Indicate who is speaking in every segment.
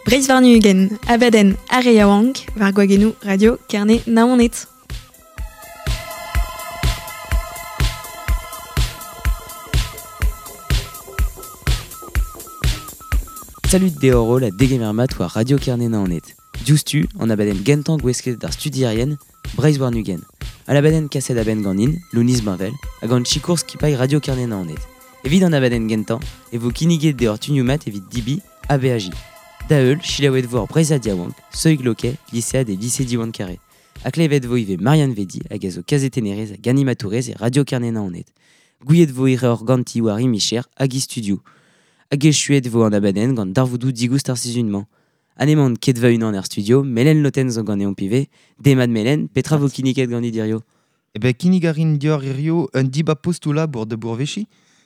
Speaker 1: Breizh warn-ugent, abadenn ar re yaouank, war gwagennoù Radio Kerne Naoned.
Speaker 2: Salut deoc'h holl ha degemer mat war Radio Kerne Naoned. Diouzhtu, an abadenn gentañ gouestlet d'ar studierien, Breizh warn-ugent. An abadenn kaset a-benn ganin, Lounis Bainvel, ha gant sikour skipailh Radio Kerne Naoned. Evit an abadenn gentañ e vo kinniget deoc'h tunioù mat evit debriñ ha beajiñ. Da heul, selaouet vo ar Breizhad yaouank, Soig Loquet, lisead e lise Diwan Carré. Ha klevet vo ivez Marianne Vedi hag a zo kazetennerez hag animatourez e Radio Kerne Naoned. Gouiet vo hiroc'h ganti war he micher hag he studioù. Hag echuet vo an abadenn gant darvoudoù digoust ar sizhun-mañ. Ha n'emaon ket va-unan er studio, Melen Loten zo ganeomp ivez. Demat Melen, petra vo kinniget ganit hirio?
Speaker 3: Eh ben, kinnig a rin deoc'h hirio un dibab postoù labour da bourveziñ,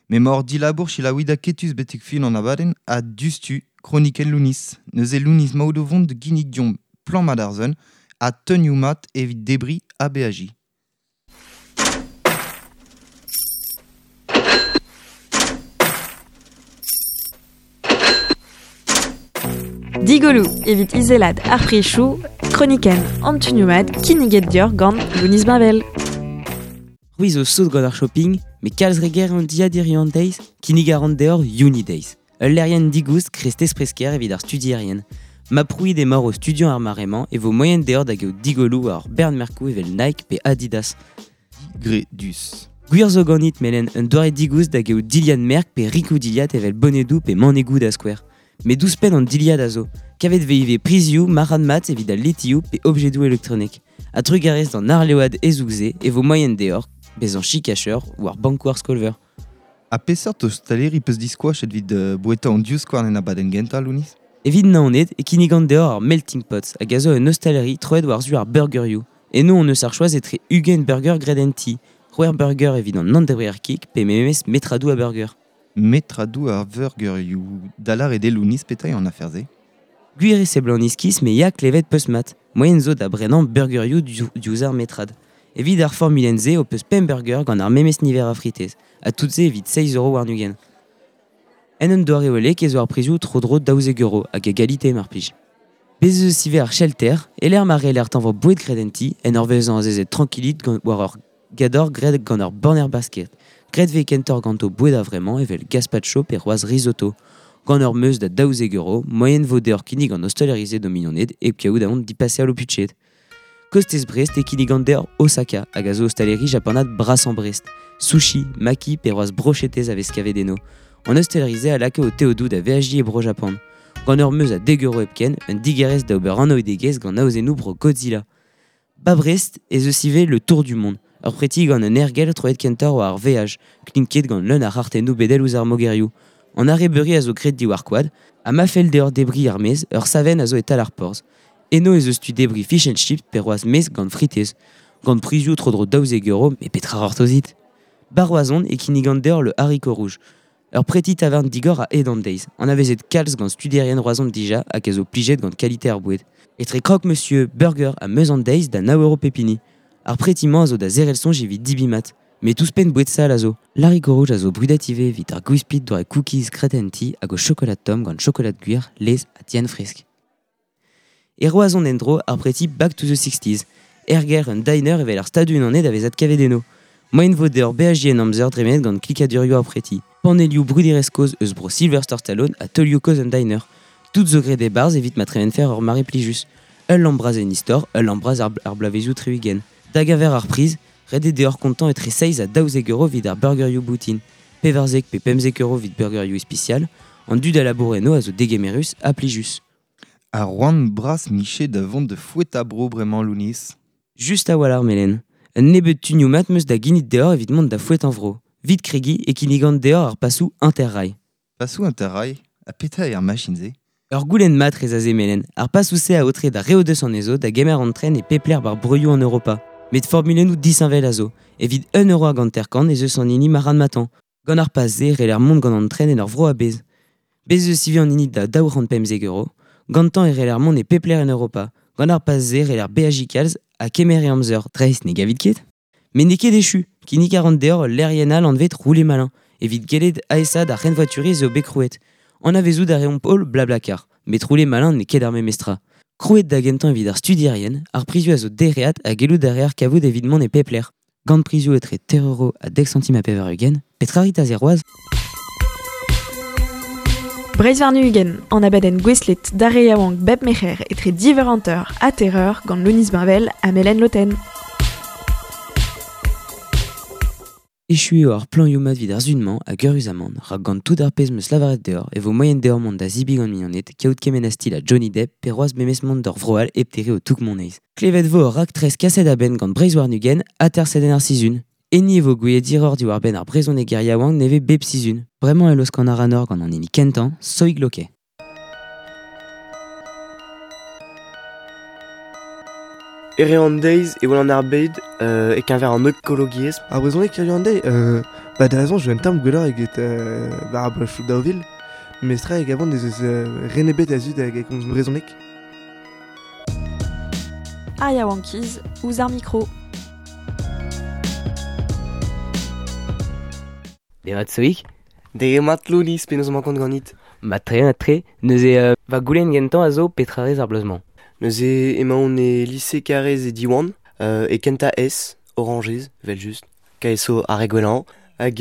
Speaker 3: m'emaoc'h dilabour selaouit aketus betek fin an abadenn ha diouzhtu kronikenn Lounis. Neuze Lounis 'maout o vont da ginnig deomp plan mat ar sun ha teunioù mat evit debriñ ha beajiñ.
Speaker 1: Digoloù evit izelat ar prizioù, kronikenn an tunioù mat kinniget deoc'h gant Lounis Bainvel.
Speaker 2: C'hwi zo sot gant ar shopping, met kalz re ger an dilhad hiziv an deiz, kinnig a ran deoc'h Unidays. Ul lec'hienn digoust krestez presker evit ar studierien. Ma prouit emaoc'h o studiañ ar mare-mañ e vo moaien deoc'h da gaout digolloù war ur bern merkoù evel Nike pe Adidas.
Speaker 3: Digredus.
Speaker 2: Gwir zo ganit, Melen, un doare digoust da gaout dilhad merk pe rikoù dilhad evel bonedoù pe manegoù da skouer. Met ouzhpenn an dilhad a zo. Kavet vez ivez prizioù marc'had-mat evit al letioù pe objedoù elektronek. Ha trugarez d'an arleoad hezoug-se e vo moaien deoc'h bezañ chikacheur war bankoù ar skol-veur.
Speaker 3: Ha peseurt ostaleri peus diskoachet evit boueta an divskouarn en abadenn gentañ, Lounis?
Speaker 2: Evit Naoned e kinnigan deoc'h ar Melting Pot hag a zo un ostaleri troet war-zu ar burgerioù. Eno hon eus ar choaz etre 20 burger graet en ti, c'hwec'h burger evit an nann-debrer kig pe memes metradoù a burger.
Speaker 3: Metradoù ar veurgerioù da lâret eo Lounis petra eo an afer-se?
Speaker 2: Gwir eo seblant iskis met ya klevet peus mat. Moaien zo da brenañ burgerioù diouzh ar metrad. Evit ar formulenn-se ho peus pemp burger gant ar memes niver a fritez, ha tout-se evit 6 euro warn-ugent. En un doare hollek ez eo ar prizioù tro-dro 12 euro hag a galite mar plij. Bez' ez eus ivez ar shelter, e-lec'h ma c'heller tañva boued graet en ti, en ur vezañ azezet trankilit gant war ur gador graet gant ur banner basket. Graet vez kentoc'h ganto boued a-vremañ evel gazpacho pe c'hoazh risotto. Gant ur meuz da 12 euro, moaien vo deoc'h kinnig an ostaleri-se d'ho mignoned hep kaout aon dipaseal ho budjed. Kostez Brest e kinnigan deoc'h Osaka hag a zo ostaleri japanat brasañ Brest. Sushi, maki pe c'hoazh brochetez a vez kavet eno. An ostaleri-se a laka ho teodoù da veajiñ e Bro-Japan. Gant ur meuz a dek euro hepken, un digarez da ober anaoudegezh gant aozennoù bro Godzilla. Ba Brest ez eus ivez le Tour du Monde, ur preti gant un aergelc'h troet kentoc'h war ar veaj, klinket gant leun ar c'hartennoù bedel ouzh ar mogerioù. An arrebeuri a zo graet diwar koad, ha ma fell deoc'h debriñ er-maez, ur savenn a zo e-tal ar porzh. Eno ez eus tu debriñ fish and chips pe c'hoazh mezh gant fritez. Gant prizioù tro-dro 12 euro, met petra c'hortozit? Ba Roazhon e kinnigan deoc'h le haricot rouge. Ur preti tavarn digor a-hed an deiz, anavezet kalz gant studierien Roazhon dija hag a zo plijet gant kalite ar boued. Etre croque-monsieur, burger ha meuz an deiz da nav euro pep hini. Ar preti-mañ a zo da zerc'hel soñj evit debriñ mat. Met ouzhpenn boued sall a zo. L'haricot rouge a zo brudet ivez evit ar gwispid doare cookies graet en ti hag o chokolad tomm gant chokolad gwir, laezh ha dienn fresk. E Roazhon en-dro ar preti Back to the Sixties. Er gêr un diner evel ar Stadoù-Unanet a vez adkavet eno. Moaien vo deoc'h beajiñ en amzer dremenet gant klikadurioù ar preti. Panelioù bruderezh kozh eus bro Sylvester Stallone ha teulioù kozh un diner. Tout zo graet e-barzh evit ma tremenfer ur mare plijus. Ul lamm bras en istor, ul lamm bras ar bloavezioù tri-ugent. Da geñver ar priz, ret eo deoc'h kontañ etre seizh ha 12 euro evit ar burgerioù boutin, 14 pe 15 euro evit burgerioù ispisial. An dud a labour eno a zo degemerus ha plijus.
Speaker 3: Ar c'hoant bras 'mije da vont da foetañ bro bremañ, Lounis.
Speaker 2: Just a-walc'h, Melen. Un nebeud tunioù mat 'm eus da ginnig deoc'h evit mont da foetañ vro. Vit kregiñ e kinnigan deoc'h ar pasoù Interrail.
Speaker 3: Pasoù Interrail? Ha petra eo ar machin-se?
Speaker 2: Ur goulenn mat rez aze, Melen. Ar pasoù-se a aotre d'ar re o deus anezho da gemer an tren e pep lec'h war broioù an Europa. Met formulennoù disheñvel a zo. Evit un euro hag hanter-kant ez eus an hini marc'had-matañ. Gant ar pas-se e c'heller mont gant an tren en ur vro a-bezh. Bez' eus ivez an hini da 215 euro. Gantañ e c'heller mont e pep lec'h en Europa. Gant ar pas-se e c'heller beajiñ kalz ha kemer e amzer, dreist ne gavit ket? Met n'eo ket echu. Kinnig a ran deoc'h ul lec'hienn all anvet Rouler Malin. Evit gellet aesaat ar c'henvoaturiezh eo bet krouet. An avezout a reomp holl Blablacar, met roule malin ne ket ar memestra. Krouet da gentañ evit ar studierien, ar prizioù a zo dereat ha gellout a reer kavout evit mont e pep lec'h. Gant prizioù etre 3€ ha 10 centim ha 80, petra rit aze c'hoazh?
Speaker 1: Breizh warn-ugent, an abadenn gouestlet d'ar re yaouank bep merc'her etre div eur hanter ha teir eur gant Lounis Bainvel ha Melen Loten.
Speaker 2: Echu eo ar plañioù mat evit ar sun-mañ hag eüruzamant, rak gant tout ar pezh 'm eus lavaret deoc'h e vo moaien deoc'h mont da zebriñ gant mignoned, kaout kement a stil ha Johnny Depp pe c'hoazh memes mont d'ur vro all hep terriñ ho toug-moneiz. Klevet 'vo ur raktres kaset a-benn gant Breizh warn-ugent aterset en ar sizhun. Enni e vo gouiet hiroc'h diwar-benn ar brezhoneger yaouank nevez bep sizhun. Bremañ e laoskan ac'hanoc'h gant an hini kentañ, Soig Loquet.
Speaker 4: Ere an deiz e welan ar bed e-keñver an ekologiezh.
Speaker 5: Ar brezhoneg hiziv an deiz, ba da raison je un tamm gwelloc'h eget war ar bloavezhioù 2000, mes tra e gavan ez eus ren ebet a-zud hag a gomz brezhoneg.
Speaker 1: Ar yaouankiz ouzh ar mikro.
Speaker 2: Demat Soig.
Speaker 4: Demat Lounis, penaos emañ kont ganit?
Speaker 2: Mat-tre, mat-tre. Neuze, va goulenn gentañ a zo petra rez ar bloaz-mañ?
Speaker 4: Neuze emaon e lise Karrez e Diwan, e kentañ S, Orañjez, evel-just, KSO ar re gwellañ, hag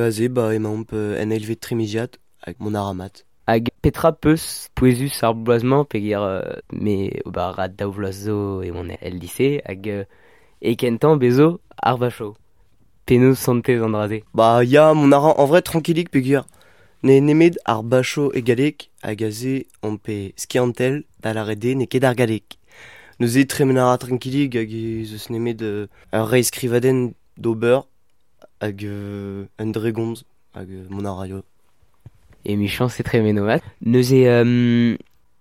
Speaker 4: aze ba emaomp en eilvet trimiziad hag mont a ra mat.
Speaker 2: Hag petra 'peus pouezus ar bloaz-mañ peogwir me ober a ra daou vloaz zo e oan el lise hag e kentañ bezo ar vacho. Penaos santez an dra-se?
Speaker 4: Ba ya, mont a ra en vrai tranquillik peogwir ne nemet ar bacho e galleg hag aze omp e skiantel da lâret eo n'eo ket ar galleg. Neuze tremen a ra tranquillik hag ez eus nemet ur reizhskrivadenn d'ober hag un dregomz hag mont a raio.
Speaker 2: Emichañs e tremeno mat. Neuze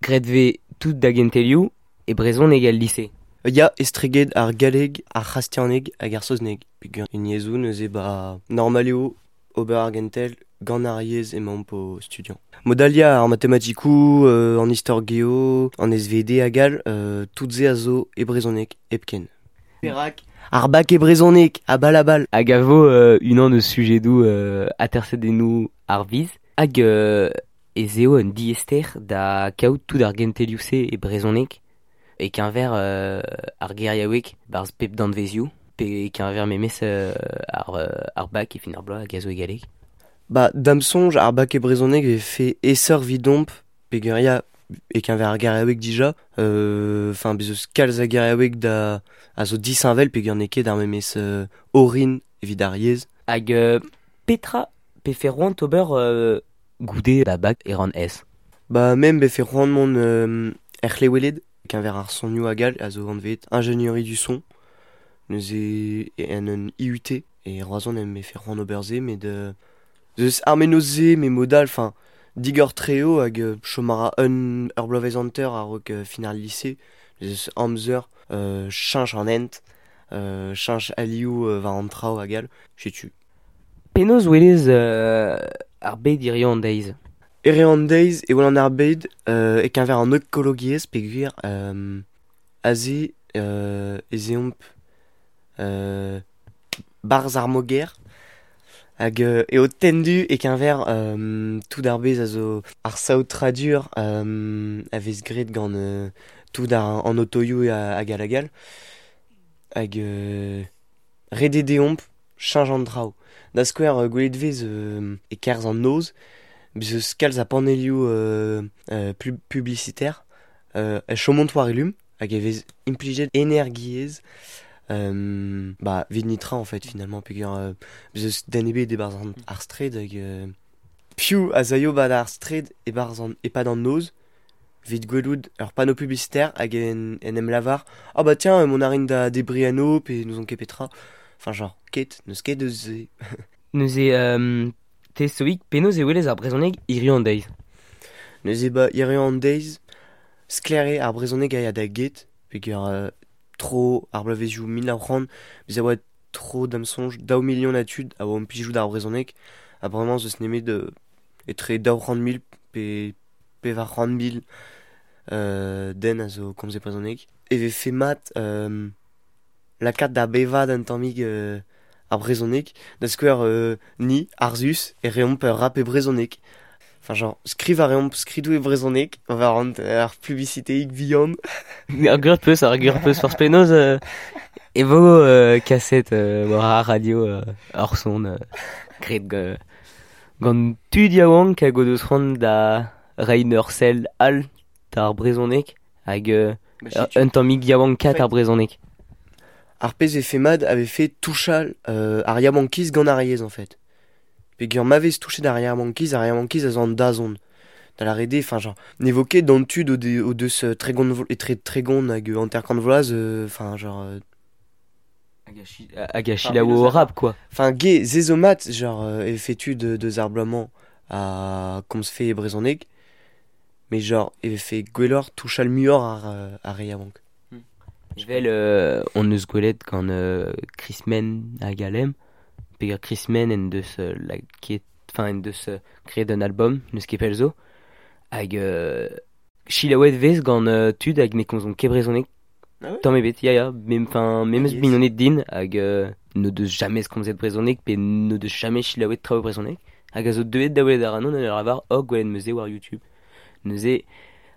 Speaker 2: graet 'vez tout da gentelioù e brezhoneg el lise.
Speaker 4: Ya, estreget ar galleg, ar c'hastianeg hag ar saozneg. Peogwir en yezhoù neuze ba normal eo ober ar gentel gant ar yezh emaomp o studiañ. Mod all ya, ar matematikoù, an istor geo, an SVD hag all, tout se a zo e brezhoneg hepken. Perak ar bak e brezhoneg, a bal a bal.
Speaker 2: Hag a vo unan eus sujedoù atersadennoù ar viz. Hag ez eo un diaester da kaout tout ar gentelioù-se e brezhoneg e-keñver ar geriaoueg barzh pep danvezioù pe e-keñver memes ar bak e fin ar bloaz hag a zo e galleg.
Speaker 4: Ba, da'm soñj, ar bak e brezhoneg e vefe aesoc'h evidomp peogwir ya, e-keñver ar geriaoueg dija, enfin bez' eus kalz a geriaoueg da a zo disheñvel peogwir n'eo ket ar memes orin evit ar yezh.
Speaker 2: Hag petra pefe c'hoant ober goude da bak e ran S?
Speaker 4: Ba, me befe c'hoant mont er c'hleweled, e-keñver ar sonioù hag all a zo anvet ingénierie du son. Neuze en un IUT e Roazhon em befe c'hoant ober se, met eus ar mennozh-se, met mod all, enfin, digor-tre eo hag chom a ra un ur bloavezh hanter a-raok fin ar lise. Eus amzer cheñch an hent, cheñch alioù war an traoù hag all, setu.
Speaker 2: Penaos 'welez ar bed hiziv an deiz?
Speaker 4: Hiziv an deiz e welan ar bed e-keñver an ekologiezh peogwir aze ez eomp 'barzh ar moger hag eo tendu e-keñver tout ar pezh a zo ar saotradur a vez graet gant tout an otoioù hag all hag all. Hag ret eo deomp cheñch an traoù. Da skouer gwelet 'vez e-kerzh an noz, bez' eus kalz a panelioù publicitaire e chomont war elum hag e vez implijet energiezh ba evit netra en fait finalement peogwir bez' eus den ebet e-barzh ar straed hag piv a zaio 'ba ar straed e-barzh an e-pad an noz evit gwelout ur panneau publicitaire hag en em lavar ah bah tiens mont a rin da debriñ eno pe n'ouzon ket petra. Enfin genre ket, n'eus ket eus se.
Speaker 2: Neuze te Soig, penaos e welez ar brezhoneg hiziv an deiz?
Speaker 4: Neuze ba hiziv an deiz, sklaer eo ar brezhoneg a ya da get, peogwir tro ar bloavezhioù 1900, bez' e oa tro da'm soñj 2 milion a tud a oa implijout ar brezhoneg, ha bremañ ez eus nemet etre 200 000 pe 400 000 den a zo komz e brezhoneg. E vefe mat lakaat da bevañ un tammig ar brezhoneg, da skouer ni, Arzus, e reomp ur rap e brezhoneg. Enfin, genre, skriv a reomp skridou e brezhoneg, war an ar publicité ik vihan.
Speaker 2: Ar gwir peus, ar gwir peus forzh penaos e vo kaset war ar radio ar son graet gant tud yaouank hag o deus c'hoant da reiñ ur sell all d'ar brezhoneg hag un tammig yaouank kat ar brezhoneg.
Speaker 4: Ar pezh e fait mad avait fait touchal ar yaouankiz gant ar yezh en fait. Peogwir ma vez touchet ar yaouankiz, ar yaouankiz a zo an dazont. Da la rede, enfin genre, n'evo ket d'an tud o deus tregont etre tregont hag hanter-kant vloaz, enfin genre...
Speaker 2: Hag a selaou o rap, quoi.
Speaker 4: Enfin, ge, se zo mat, genre, e vefe tud deus ar bloaz-mañ a komzfe e brezhoneg, mais genre, e vefe gwelloc'h touchal muioc'h ar re yaouank.
Speaker 2: Evel on eus gwelet gant Krismen hag Alem, peogwir Krismen en deus lakaet, enfin en deus graet un album, n'eus ket pell zo, hag selaouet vez gant tud hag ne komzont ket brezhoneg.
Speaker 4: Ah ouais?
Speaker 2: Tamm ebet, ya ya, mem, enfin, memes
Speaker 4: Yes.
Speaker 2: mignoned din hag n'o deus jamais komzet brezhoneg pe n'o deus jamais selaouet traoù brezhoneg, hag a zo deuet da welet ac'hanon en ur lavar oh gwelet 'm eus se war YouTube. Neuze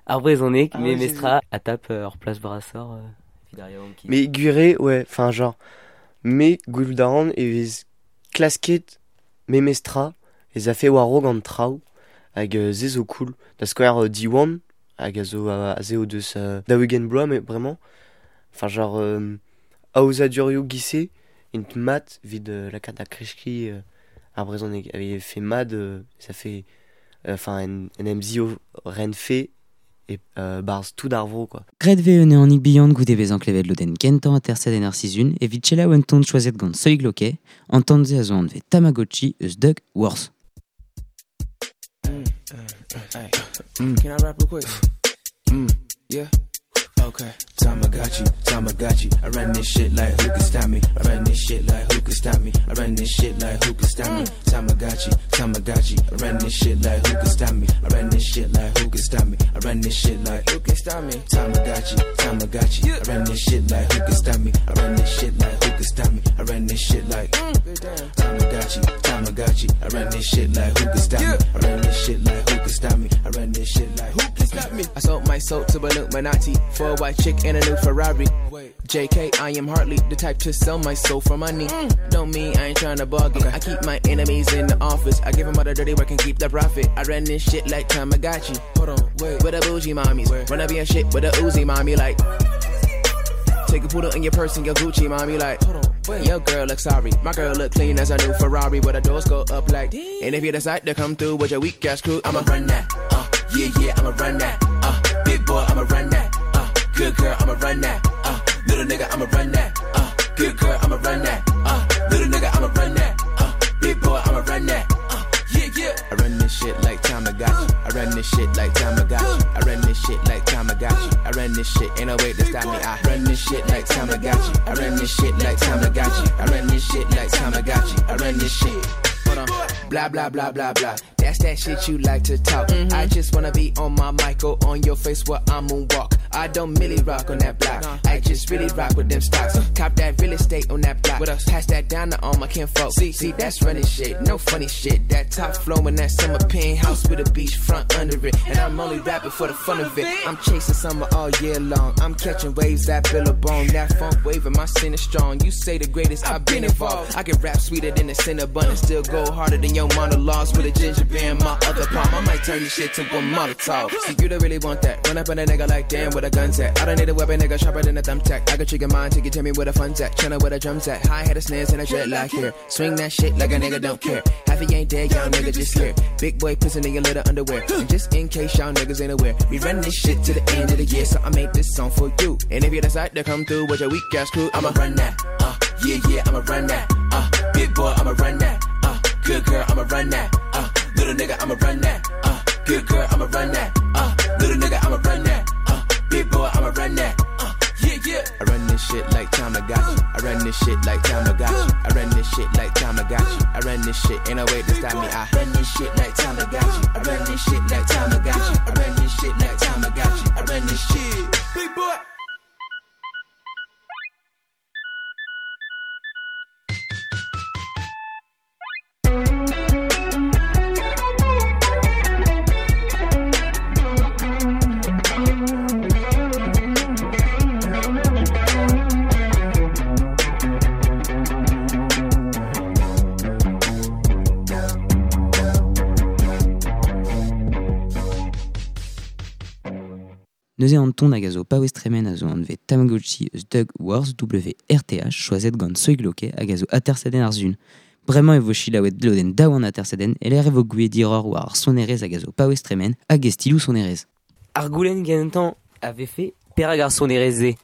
Speaker 2: ar brezhoneg,
Speaker 5: Ah ouais,
Speaker 2: memestra a tap ur plas brasoc'h evit ar yaouankiz.
Speaker 4: Mais gwir eo, ouais, enfin genre, me gwelout a ran e vez klasket memestra ez afe war-raok an traoù hag se zo cool. Da skouer Diwan hag a zo aze o deus 40 bloaz mais bremañ. Enfin genre aozadurioù giz-se int mat evit lakaat da kreskiñ ar brezhoneg. Hag e fait mat ça fait enfin en em zio renfe e barzh tout ar vro quoi.
Speaker 2: Graet vez un ehanig bihan goude bezañ klevet lodenn kentañ aterset en ar sizhun evit selaou un ton choazet gant Soig Loquet, an ton-se a zo anvet Tamagotchi eus Doug Worth.
Speaker 6: Can I rap real quick? Yeah. Okay. Tamagotchi, Tamagotchi. I run this shit like who can stop me? I run this shit like who can stop me? I run this shit like who can stop me? Tamagotchi, Tamagotchi. I run this shit like who can stop me? I run this shit like who can stop me? I run this shit like who can stop me? Tamagotchi, Tamagotchi. I run this shit like who can stop me? I run this shit like who can stop me? I run this shit like Tamagotchi, Tamagotchi. I run this shit like who can stop me? I run this shit like who can stop me? I run this shit like who can stop me?
Speaker 7: I sold my soul to Illuminati for a white chick and a new Ferrari. JK, I am hardly the type to sell my soul for money. Don't mean I ain't tryna bargain. I keep my enemies in the office. I give them all the dirty work and keep the profit. I run this shit like Tamagotchi.
Speaker 6: Hold on, wait.
Speaker 7: With a bougie mommies.
Speaker 6: Where?
Speaker 7: Run up your shit with a Uzi mommy like. Take a poodle in your purse and your Gucci mommy like.
Speaker 6: Hold on, wait.
Speaker 7: Your girl look sorry. My girl look clean as a new Ferrari. But the doors go up like. And if you decide to come through with your weak ass crew, I'ma run that. Yeah, yeah, I'ma run that. Big boy, I'ma run that. Good girl, I'ma run that. Little nigga, I'ma run that. Good girl, I'ma run that. Little nigga, I'ma run that. Big boy, I'ma run that. Yeah, yeah. I run this shit like Tamagotchi. I run this shit like Tamagotchi. I run this shit like Tamagotchi. I run this shit, ain't no way to stop me. I run this shit like Tamagotchi. I run this shit like Tamagotchi. I run this shit like Tamagotchi. I run this shit. Hold on. Blah, blah, blah, blah, blah. That's that shit you like to talk. I just wanna be on my mic or on your face while I moonwalk. I don't really rock on that block. I just really rock with them stocks. Cop that real estate on that block. Pass that down to all my kinfolk. See, that's running shit. No funny shit. That top flow in that summer penthouse with a beach front under it. And I'm only rapping for the fun of it. I'm chasing summer all year long. I'm catching waves at Billabong. That funk wave and my sin is strong. You say the greatest, I've been involved. I can rap sweeter than a Cinnabon and still go harder than your monologues with a ginger beer in my other palm. I might turn this shit to a Molotov. See, you don't really want that. Run up on a nigga like damn, where the guns at? I don't need a weapon, nigga, sharper than a thumbtack. I can trigger mine till you tell me where the fun's at. Chillin' where the drums at. High head of snares and a dreadlock here. Swing that shit like a nigga don't care. Half he ain't dead, y'all nigga just here. Big boy pissing in your little underwear. And just in case y'all niggas ain't aware, we run this shit to the end of the year, so I made this song for you. And if you decide to come through with your weak ass crew, I'ma run that. Yeah, yeah, I'ma run that. Big boy, I'ma run that. Good girl, I'ma run that. Little nigga, I'ma run that. Good girl, I'ma run that. Little nigga, I'ma run that. Big boy, I'ma run that. Yeah, yeah. I run this shit like Tamagotchi. I run this shit like Tamagotchi. I run this shit like Tamagotchi. I run this shit, ain't no way to stop me. I run this shit like Tamagotchi. I run this shit like Tamagotchi. I run this shit like Tamagotchi. I run this shit.
Speaker 6: Big boy.
Speaker 2: Neuze an ton hag a zo paouez tremen a zo anvet Tamagotchi eus Doug Wars WRTH choazet gant Soig Loke hag a zo atersadenn ar zun. Bremañ e vo chilaouet lodenn daou an atersadenn e lec'h e vo gouiet diroc'h war ar sonerezh hag a zo paouez tremen hag e stiloù sonerezh. Ar goulenn gentañ a vefe perak ar sonerezh-se?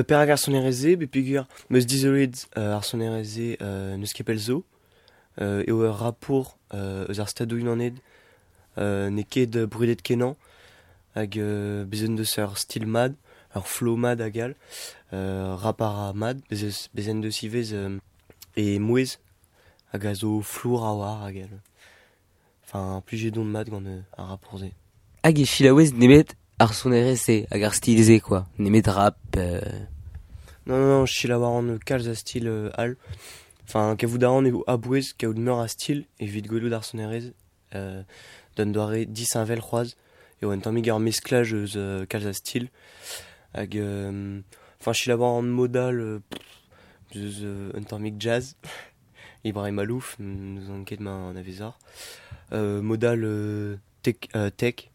Speaker 4: Perak ar sonerezh-se, bet peogwir 'm eus dizoloet ar sonerezh-se n'eus ket pell zo. Eo ur rapour eus ar Stadoù-Unanet n'eo ket brudet-kenañ hag bez' en deus ur stil mat, ur flow mat hag all, rap a ra mat, bez' en deus ivez e mouezh hag a zo flour a-walc'h hag all. Enfin, plijet on mat gant ar rapour-se.
Speaker 2: Hag e selaouez nemet ar sonerezh-se hag ar stil-se quoi, nemet rap.
Speaker 4: Non, non, non, selaou a ran kalz a stil all. Enfin, kavout a ran eo a-bouez kaout meur a stil evit gwelout ar sonerezh d'un doare disheñvel c'hoazh. Eo un tammig ur mesklaj eus kalz a stil. Hag enfin, selaou a ran mod all eus un tammig jazz. Ibrahim Malouf, n'ouzon ket ma anavezoc'h. Mod all tech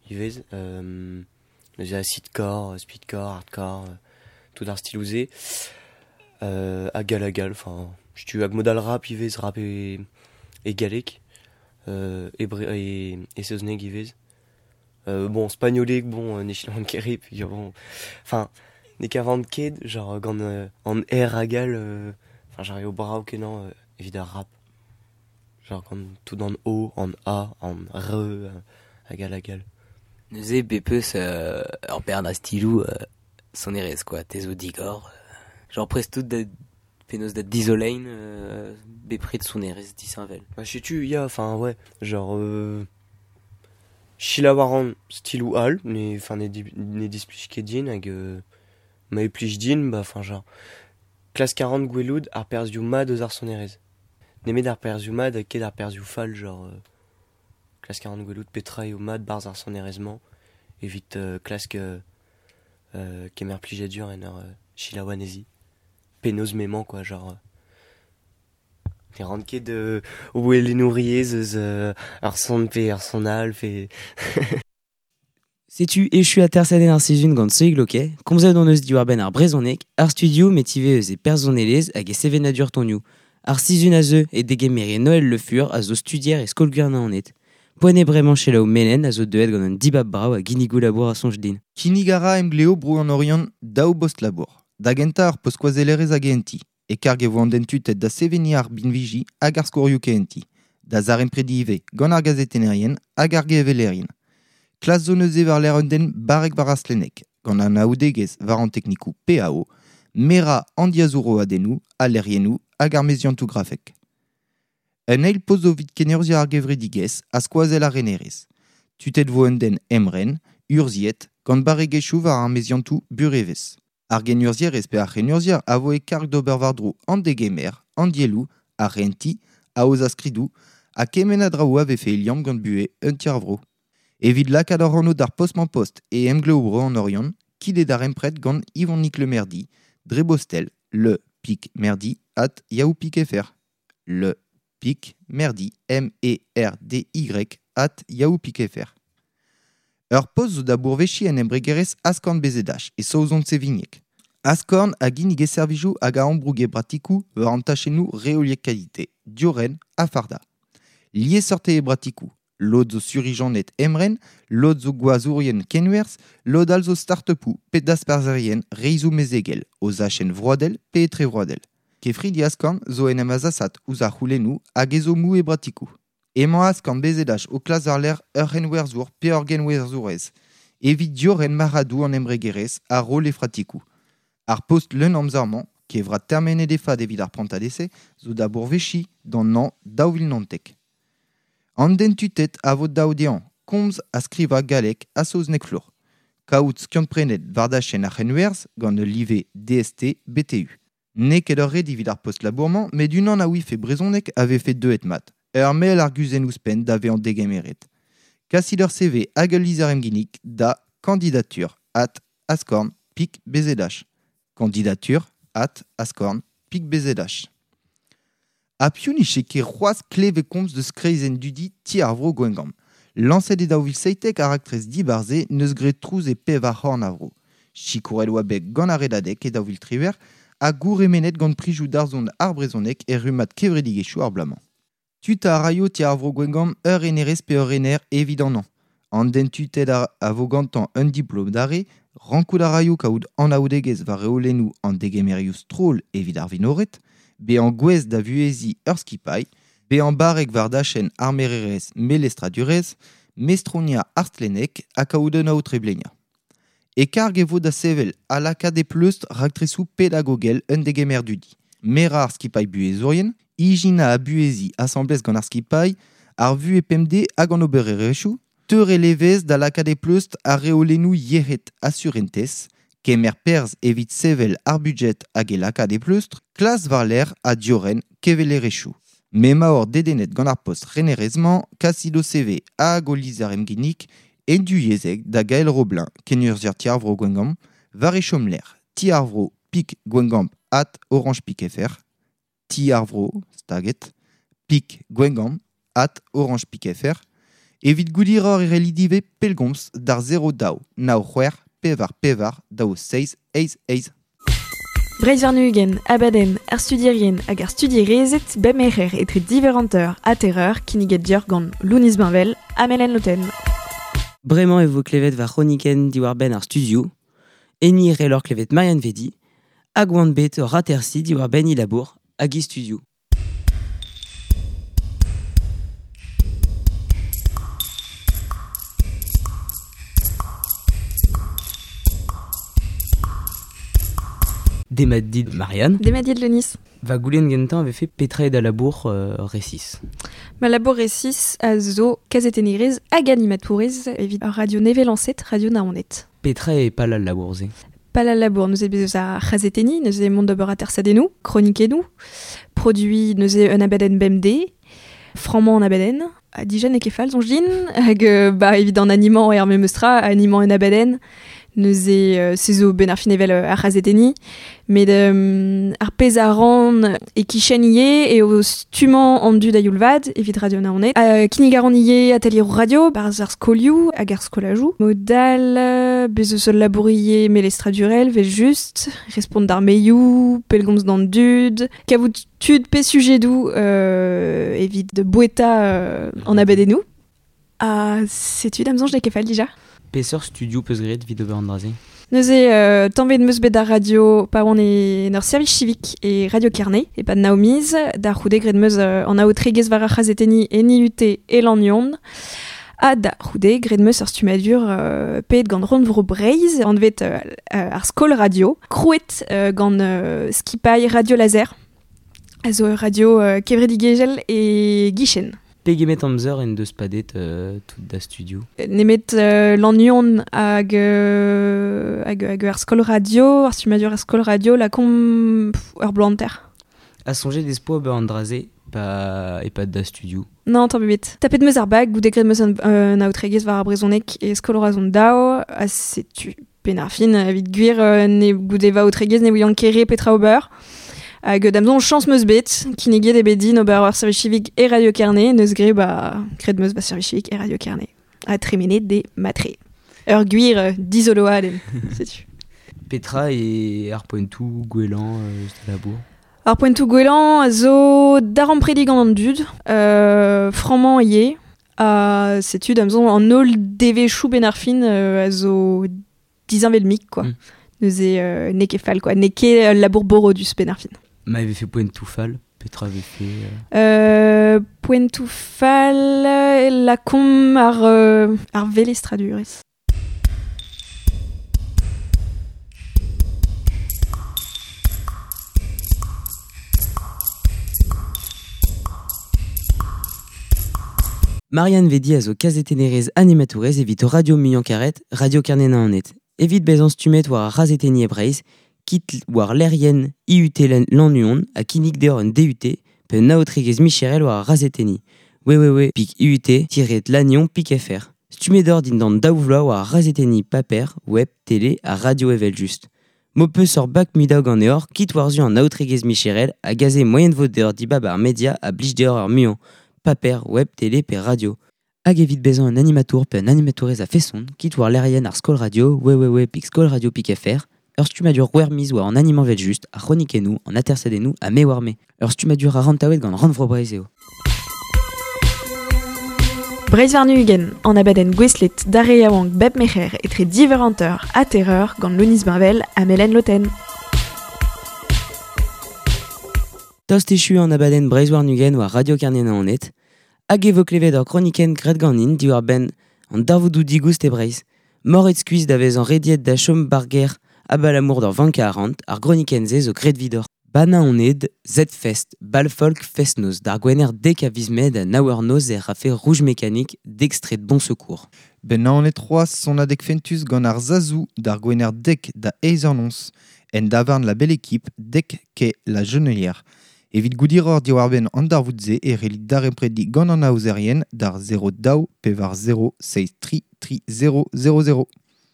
Speaker 4: ivez. Neuze acidcore, speedcore, hardcore, tout ar stiloù-se. Hag all hag all, enfin, setu hag mod all rap ivez, rap e galleg, e saozneg ivez. Bon, spagnoleg, bon, ne selaouan ket re, peogwir bon, enfin, ne kavan ket, genre gant an R hag all, enfin, genre eo brav-kenañ evit ar rap. Genre gant tout an O, an A, an R, hag all hag all.
Speaker 2: Neuze bet 'peus ur bern a stiloù sonerezh quoi, te zo digor. Genre prest out da penaos da dizoleiñ bepred sonerezh disheñvel.
Speaker 4: Bah setu ya, enfin ouais, genre selaou a ran stiloù all, ne enfin ne displij ket din hag ma e plij din, bah enfin genre klask a ran gwelout ar perzhioù mat eus ar sonerezh. Nemet ar perzhioù mat ha ket ar perzhioù fall, genre klask a ran gwelout petra eo mat 'barzh ar sonerezh-mañ evit klask kemer plijadur en ur selaou anezhi. Penaos m'emañ quoi, genre ne ran ket ouelennouriezh eus ar son pe ar son all pe...
Speaker 2: Setu echu atersadenn ar sizhun gant Soig Loquet, komzet hon eus diwar-benn ar brezhoneg, ar studio met ivez eus e personelezh hag e sevenadur tonioù. Ar sizhun a zeu e degemere Noël Le Fur a zo studier e skol Naoned. Poent eo bremañ selaou Melen a zo deuet gant un dibab brav a ginnigoù labour a soñj din.
Speaker 3: Kinnig a ra emgleo bro an Oriant daou bost labour. Da gentañ ar post skoazellerezh hag enti. E karg e vo an den tutet da seveniñ ar binviji hag ar skorioù kehentiñ. Da zaremprediñ ivez gant ar gazetennerien hag ar gevelerien. Klas zo neuze war-lerc'h un den barrek war ar stlenneg, gant anaoudegezh war an teknikoù PAO, merañ an diazoù-roadennoù, al lec'hiennoù hag ar meziantoù grafek. Un eil post zo evit kenurzhiañ ar gevredigezh ha skoazell ar renerezh. Tutet vo un den emren, urzhiet, gant barregezhioù war ar meziantoù burevezh. Ar genurzhierez pe ar c'henurzhier a vo e karg d'ober war-dro an degemer, an dielloù, ar rentiñ, aozañ skridoù, ha kement a draoù a vefe e liamm gant buhez un ti ar vro. Evit lakaat hoc'h anv d'ar post-mañ-post e emglev bro an Oriant, kit e darempred gant Yvonnick Le Merdy, dre bostel le pic merdy at yahoo.fr. Le pic merdy, M-E-R-D-Y, at yahoo.fr. Ur post zo da bourveziñ en embregerezh Askorn BZH e Saozon-Sevigneg. Askorn a ginnige servijoù hag a ambrouge bratikoù war an tachennoù reoliek kalite, diorren ha fardañ. Liesseurt eo e bratikoù. Lod zo surijaned emren, lod zo gwazourien kenwerzh, lod all zo start-upoù pe dasparzherien reizhoù mezegel, o zachenn vroadel pe etrevroadel. Kefridi Askorn zo en em azasat ouzh ar c'houlennoù hag ezhommoù e bratikoù. Emañ Askorn BZH o klask war-lerc'h ur c'henwerzhour pe ur genwerzhourez evit diorren marc'hadoù an embregerezh ha roll he fratikoù. Ar post leun amzer-mañ, kevrat termenet e fad evit ar prantad-ese, zo da bourveziñ d'an hañv 2019. An den tutet a vo dav dezhañ komz ha skrivañ galleg ha saozneg flour. Kaout skiant-prenet war dachenn ar c'henwerzh gant ul live DST-BTU. N'eo ket ur ret evit ar post labour-mañ met unan a ouife brezhoneg a vefe deuet mat. Ur mell arguzenn ouzhpenn da vezañ degemeret. Kasit ur CV hag ul lizher emginnig da candidature at askorn pik bzh. Candidature at askorn pik bzh. Ha piv ne ket c'hoazh klevet komz deus kreizenn dudi Ti ar Vro Gwengamp. Lañset e 2017 ar raktres dibar-se neus graet trouz e pevar c'horn a vro. Sikouret oa bet gant ar Redadeg e 2018 ha gourc'hemennet gant prizioù darzhont ar brezhoneg er rummad kevredigezhioù ar bloaz-mañ. Tuta a raio ti ar vro Gwengamp ur renerez pe ur rener evit an hañv. An den tutet a vo gantañ un diplom d'arre, rankout a raio kaout anaoudegezh war reolennoù an degemerioù stroll evit ar vinored, bezañ gouest da vuheziñ ur skipailh, bezañ barrek war dachenn ar mererezh melestradurezh, mestroniañ ar stlenneg ha kaout un aotre-bleniañ. E karg e vo da sevel ha lakaat e pleustr raktresoù pedagogel un degemer dudi. Merañ ar skipailh buhezourien, ijinañ ha buheziñ asambles gant ar skipailh, ar vuhez pemdez hag an obererezhioù, teurel evezh da lakaat e pleustr ar reolennoù yec'hed ha surentez, kemer perzh evit sevel ar budjed hag e lakaat e pleustr, klas war-lerc'h ha diorren kevelerezhioù. M'emaoc'h dedennet gant ar post renerezh-mañ, kasit ho CV hag ho lizher emginnig e du-yezhek da Gael Roblin, kenurzhier Ti ar Vro Gwengamp, war e chomlec'h Ti ar Vro pik Gwengamp at Orange pik fr, Ti ar Vro, staget, pik Gwengamp at Orange pik fr, evit goudiroc'h e c'hellit ivez pellgomz d'ar 0 2 9 6 4 4 2 7 8 8.
Speaker 1: Breizh warn-ugent, abadenn, ar studierien hag ar studierezed bep merc'her etre div eur hanter ha teir eur kinniget deoc'h gant Lounis Bainvel ha Melen Loten.
Speaker 2: Bremañ e vo klevet va c'hronikenn diwar-benn ar studioù. Enni e c'hellor klevet Marianne Vedi hag oan bet oc'h atersiñ diwar-benn he labour hag he studioù. Demat dit Marianne.
Speaker 1: Demat dit Lounis.
Speaker 2: Va goulenn gentañ a vefe petra eo da labour resis.
Speaker 1: Ma labour resis a zo kazetennerez hag animatourez evit ar radio nevez lañset, Radio Naoned.
Speaker 2: Petra eo pal al labour-se?
Speaker 1: Pal al labour, neuze bez eus ar c'hazetenniñ, neuze mont d'ober atersadennoù, kronikennoù, produiñ neuze un abadenn bemdez, frammañ an abadenn, ha dija n'eo ket fall soñj din, hag ba evit an animañ eo ar memes tra, animañ un abadenn, neuze se zo benn ar fin evel ar c'hazetenniñ, met ar pezh a ran e-kichen ivez eo stummañ an dud a-youl vat evit Radio Naoned. Kinnig a ran ivez atelieroù radio barzh ar skolioù hag ar skolajoù. Mod all, bez eus ul labour ivez melestradurel, 'vel-just, respont d'ar mailioù, pellgomz d'an dud, kavout tud pe sujedoù evit boueta an abadennoù. Ha setu da'm soñj n'eo ket fall dija.
Speaker 2: Peseurt studioù peus graet evit ober an dra-se?
Speaker 1: Neuze, tamm ebet 'm eus bet d'ar radio pa oan en ur servij civique e Radio Kerne, e-pad nav miz. Da c'houde graet 'm eus an aotregezh war ar c'hazetenniñ en IUT e Lannuon. Ha da c'houde graet 'm eus ur stummadur paeet gant Rannvro Breizh, anvet ar Skol Radio, krouet gant skipailh Radio Laser, a zo ur radio kevredigezhel e Gichen.
Speaker 2: Pegement amzer en deus padet tout da studioù?
Speaker 1: Nemet Lannuon hag, hag, hag ar skol radio, ar stummadur ar skol radio, lakaomp ur bloaz hanter.
Speaker 2: Ha soñjet ez poa ober an dra-se pa e-pad da studioù?
Speaker 1: Non, tamm ebet. Tapet 'm eus ar bag goude graet 'm eus un aotregezh war ar brezhoneg e skol Roazhon daou, ha setu penn ar fin, evit gwir ne goude va aotregezh ne ouian ket re petra ober. Hag da'm soñj chañs 'm eus bet, kinniget eo bet din ober ur servij civique e Radio Kerne, neus graet ba graet 'm eus va servij civique e Radio Kerne. Ha tremenet d'e matre. Ur gwir dizoloadenn, setu.
Speaker 2: Petra eo ar poentoù gwellañ eus da labour?
Speaker 1: Ar poentoù gwellañ a zo daremprediñ gant an dud, frammañ ivez, ha setu da'm soñj an holl devezhioù benn ar fin a zo disheñvel-mik quoi. Neuze n'eo ket fall quoi, n'eo ket ul labour borodus benn ar fin.
Speaker 2: Ma e vefe poentoù fall, petra vefe
Speaker 1: Poentoù fall, lakaomp ar velestradurezh.
Speaker 2: Marianne Vedi a zo kazetennerez animatourez evit Radio Muiañ-Karet, Radio Kerne-Naoned. Evit bezañ stummet war ar c'hazetenniñ e Breizh, kit war lec'hienn IUT Lannuon ha kinnig deoc'h un DUT pe un aotregezh micherel war ar c'hazetenniñ. www.iut-lannion.fr Stummet oc'h dindan daou vloaz war ar c'hazetenniñ paper, web, tele ha radio evel-just. M'ho peus ur bak mudañ ganeoc'h, kit war-zu an aotregezh micherel hag aze moaien vo deoc'h dibab ar media a blij deoc'h ar muiañ, paper, web, tele pe radio. Hag evit bezañ un animatour pe un animatourez a feson, kit war lec'hienn ar Skol Radio, www.skolradio.fr, ur stummadur wer miz war an animan vel just, ar chronikennoù, an atersadennoù ha me war me. Ur stummadur a rantaouet gant Rannvro Breizh eo.
Speaker 1: Breizh warn-ugent, an abadenn gouestlet d'ar re yaouank bep merc'her etre div eur hanter ha teir eur gant Lounis Bainvel ha Melen Loten.
Speaker 2: Tost echu an abadenn Breizh warn-ugent war Radio Kerne-Naoned, hag e vo klevet ur kronikenn graet ganin diwar-benn an darvoudoù digoust e Breizh. Moret skuizh da vezañ rediet da chom ba'r gêr abalamour d'ur vank a arc'hant, ar gronikenn-se zo graet 'vidoc'h. Banaoned, Z-Fest, Bal-Folk Fest-Noz, d'ar Gwener dek a viz Mae da nav eur noz e rafe Rouge Mécanique d'extrait de Bon Secours.
Speaker 3: Ben Naoned c'hoazh sonadeg fentus gant ar Zazou d'ar Gwener dek da eizh eur noz, en davarn La Belle Équipe dek kae La Jonelière. Evit goût diroc'h diwar-benn an darvoud-se e c'hellit daremprediñ gant an aozerien d'ar 0 daou pevar 0 seizh tri tri 0 0 0.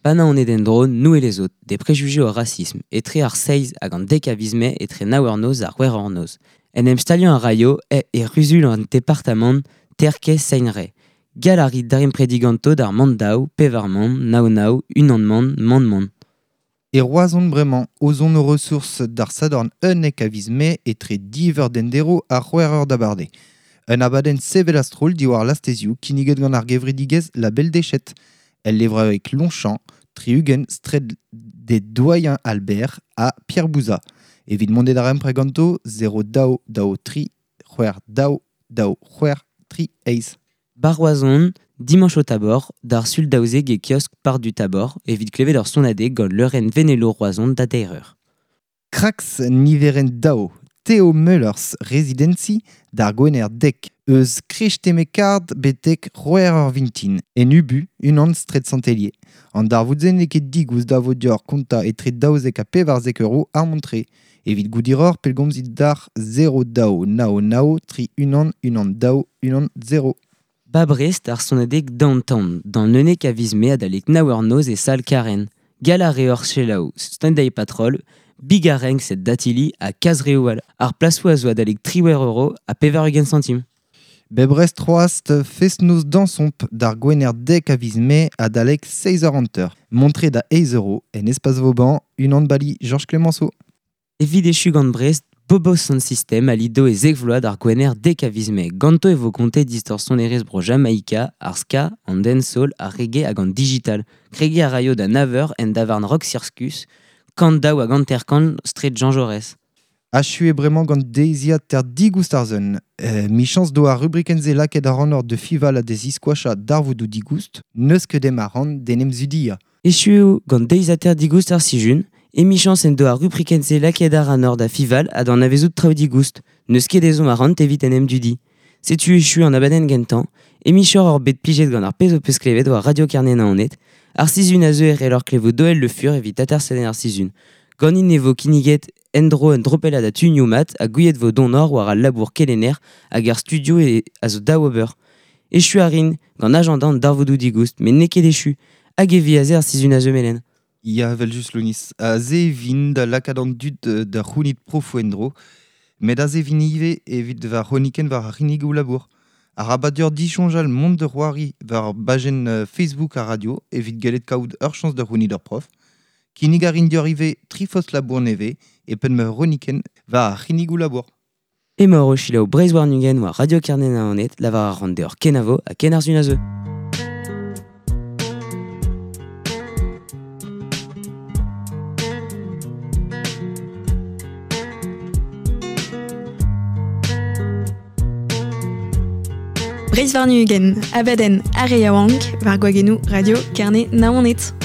Speaker 2: Banaoned en-dro, nous et les autres, des préjugés au racisme, etre ar seizh hag an dek a viz Mae etre nav eur noz ha c'hwec'h eur noz. En em staliañ a raio e e ruzul an departamant Terkez Seinre. Gall a rit daremprediñ ganto d'ar man daou, pevar man, nav nav, unan man, man man.
Speaker 3: E Roazhon bremañ, ozon o ressources d'ar Sadorn unnek a viz Mae etre div eur d'endero ha c'hwec'h eur d'abardaez. Un abadenn sevel a-stroll diwar lastezioù kinniget gant ar gevredigezh La Belle Déchette. El levraoueg Longchamp, tri-ugent straed des Doyens Albert ha Pierre Bouza. Evit mont darempred ganto 0 daou daou tri c'hwec'h daou daou c'hwec'h tri eizh.
Speaker 2: Ba Roazhon, dimanche au Tabor, d'ar sul daouzek e kiosk Parc du Tabor, evit klevet ur sonadeg gant leurenn Venelo Roazhon da deir eur.
Speaker 3: Krax niverenn daou, Theo Möllers Residency d'ar Gwener dek, eus Krechtemekard betek c'hwec'h eur vintin, en Ubu, unan straed Sant-Hélier. An darvoud-se n'eo ket digoust da vo deoc'h kontañ etre daouzek ha pevarzek euro ar mont-tre. Evit goût diroc'h pellgomzit d'ar 0 daou nav nav tri unan unan daou unan 0.
Speaker 2: Ba Brest ar sonadeg Downtown, d'an unnek a viz Mae adalek nav eur noz e sal Karen. Gall a reoc'h selaou Sunday Patrol, Bigareng set Datili ha Kazreoù all. Ar plasoù a zo adalek triwec'h euro ha pevar-ugent santim.
Speaker 3: Bep Brest c'hoazh fest-noz dañsomp d'ar Gwener dek a viz Mae adalek seizh eur hanter. Mont-tre da eizh euro en Espace Vauban, unan bali Georges Clemenceau.
Speaker 2: Evit echu gant Brest, Bobo Sound System a lido e zek vloaz d'ar Gwener dek a viz Mae. Ganto e vo kontet istor sonerezh bro Jamaika, ar ska, an dancehall, ar reggae hag an digital. Kregiñ a raio da nav eur en davarn Rock Circus, kant daou hag hanter-kant straed Jean Jaurès.
Speaker 3: Achu eo bremañ gant deiziad ter digoust ar sun. Michañs do ar rubrikenn-se lakaet ac'hanoc'h da fiñval ha da ziskoachañ darvoudoù digoust, n'eus ket deomp arc'hant d'en em zudiañ.
Speaker 2: Echu eo gant deiziataer digoust ar sizhun, emichañs en do ar rubrikenn-se lakaet ac'hanoc'h da fiñval ha d'anavezout traoù digoust, n'eus ket ezhomm arc'hant evit en em dudi. Setu echu an abadenn gentañ, emichañs oc'h bet plijet gant ar pezh ho peus klevet war Radio Kerne-Naoned, ar sizhun a zeu e c'helloc'h klevout Doel Le Fur evit atersadenn ar sizhun. Ganin e vo kinniget en-dro un dropellad a tunioù mat ha gouiet vo donoc'h war al labour kelenner hag ar studio e a zo daou ober. Echu a rin gant ajañdañ an darvoudoù digoust, met n'eo ket echu. Hag e vi aze ar sizhun a zeu melen.
Speaker 3: Ya, evel-just, Lounis. Aze e vin da lakaat an dud da c'hounit profoù en-dro. Met aze e vin ivez evit va c'hronikenn war ar c'hinnigoù labour. Arabat deoc'h disoñjal mont da c'hoari war bajenn Facebook ar radio evit gellet kaout ur chañs da c'hounit ur prof. Kinnig a rin deoc'h ivez tri fost labour nevez e penn ma c'hronikenn war ar c'hinnigoù labour.
Speaker 2: Emaoc'h o selaou Breizh warn-ugent war Radio Kerne-Naoned, lavar a ran deoc'h kenavo ha ken ar sun a zeu.
Speaker 1: Breizh warn-ugent, abadenn ar re yaouank war gwagennoù Radio Kerne-Naoned.